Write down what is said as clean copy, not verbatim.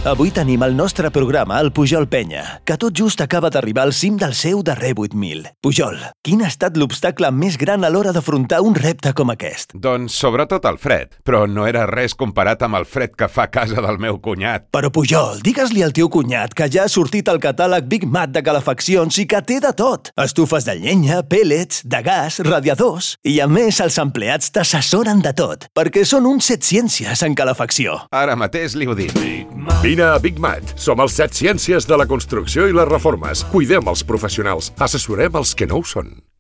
Avui tenim al nostre programa el Pujol Penya, que tot just acaba d'arribar al cim del seu darrer 8.000. Pujol, quin ha estat l'obstacle més gran a l'hora d'afrontar un repte com aquest? Doncs sobretot el fred, però no era res comparat amb el fred que fa a casa del meu cunyat. Però Pujol, digues-li al teu cunyat que ja ha sortit el catàleg Big Mat de calefaccions i que té de tot. Estufes de llenya, pèl·lets, de gas, radiadors... I a més, els empleats t'assessoren de tot, perquè són uns 7 ciències en calefacció. Ara mateix li ho dic. Vine a Big Mat. Som els 7 ciències de la construcció i les reformes. Cuidem els professionals. Assessorem els que no ho són.